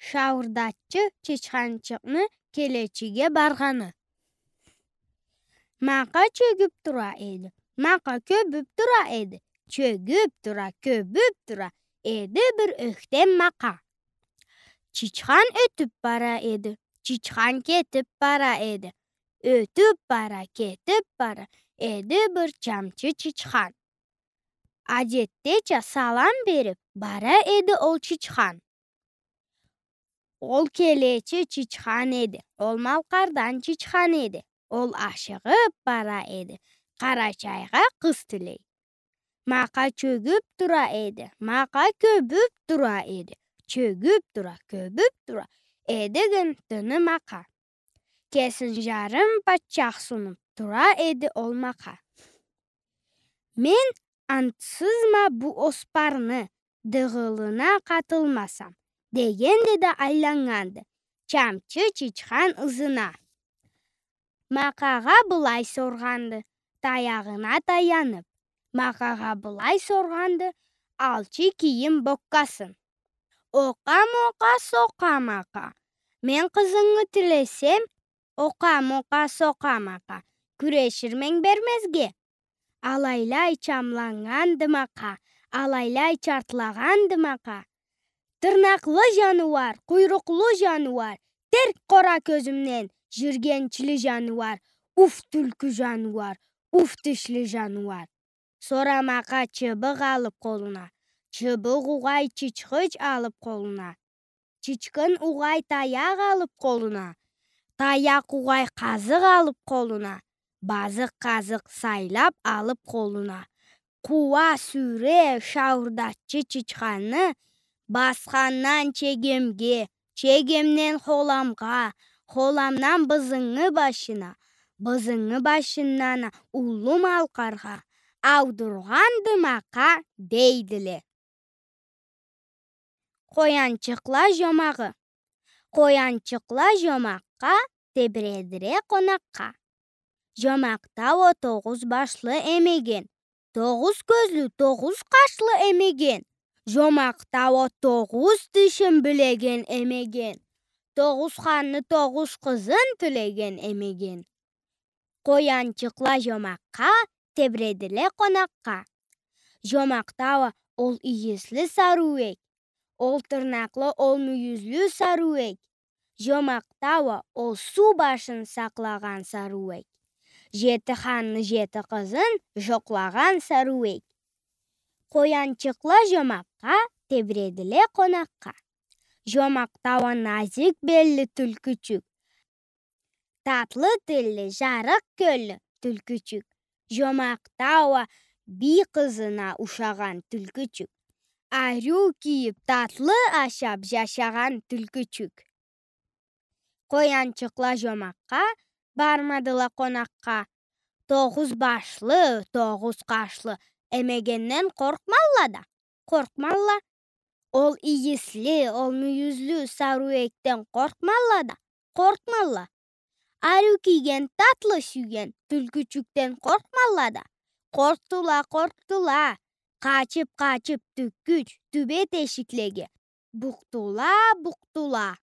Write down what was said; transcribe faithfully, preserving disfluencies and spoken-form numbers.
Шауурдатчы чычханчыкъны келечиге баргъаны. Макъа чёгюп тура эди, макъа кёбюп тура эди, чёгюп тура, кёбюп тура эди бир ёхтем макъа. Чычхан ётюп бара эди, чычхан кетип бара эди, ётюп бара, кетип бара эди бир чамчы чычхан. Адетдеча салам берип бара эди ол чычхан. Ол келечи чычхан эди, ол Малкъардан чычхан эди. Ол ашыгъып бара эди, Къарачайгъа къыз тилей. Макъа чёгюп тура эди, макъа кёбюп тура эди, чёгюп тура, кёбюп тура эди гын тыны макъа. Кесин жарым патчах сунуп тура эди ол макъа. Мен антсызма бу оспарны дыгъылына къатылмасам, дегенди да айланнганды чамчы чычхан ызына. Макъагъа былай соргъанды, таягъына таянып. Макъагъа былай соргъанды алчы кийим боккасын. Окъа-мокъа, сокъа-макъа. Мен къызынгы тилесем, окъа-мокъа, сокъа-макъа, кюреширме бермезге. Алайлай чамланнганды макъа, алайлай чартлагъанды макъа. Тырнакълы жаныуар, къуйрукълу жаныуар, терк къора кёзюмден, жиргенчли жаныуар, уф, тюлкю жаныуар, уф, тишли жаныуар. Сора макъа чыбыкъ алып къолуна, чыбыкъ угъай чычхыч алып къолуна, чычкын угъай таякъ алып къолуна, таякъ угъай къазыкъ алып къолуна, базыкъ-къазыкъ сайлап алып къолуна. Къууа, сюйре шауурдатчы чычханны басхандан чегемге, чегемден холамгъа, холамдан бызынгы башына, бызынгы башындан а Уллу Малкъаргъа аудургъанды макъа, дейдиле. Къоянчыкъла жомагъы. Къоянчыкъла жомакъгъа, тебредиле къонакъгъа. Жомакъда уа тогъуз башлы эмеген, тогъуз кёзлю, тогъуз къашлы эмеген. Жомакъда уа тогъуз тишин билеген эмеген, тогъуз ханны, тогъуз къызын тилеген эмеген. Къоянчыкъла жомакъгъа, тебредиле къонакъгъа. Жомакъда уа ол ийисли сарыуек, ол тырнакълы, ол мюйюзлю сарыуек. Жомакъда уа ол суу башын сакълагъан сарыуек, жети ханны, жети къызын жокълагъан сарыуек. Къоянчыкъла жомакъгъа, тебредиле къонакъгъа. Жомакъда уа назик белли тюлкючюк, татлы тилли, жарыкъ кёллю тюлкючюк. Жомакъда уа бий къызына ушагъан тюлкючюк, ариу кийип, татлы ашап жашагъан тюлкючюк. Къоянчыкъла жомакъгъа, бармадыла къонакъгъа. Тогъуз башлы, тогъуз къашлы эмегенден къоркъмалла да, къоркъмалла. Ол ийисли, ол мюйюзлю сарыуекден къоркъмалла да, къоркъмалла. Ариу кийген, татлы сюйген тюлкючюкден къоркъмалла да, къоркъдула, къоркъдула. Къачып-къачып тюккюч тюбе тешиклеге букъдула, букъдула.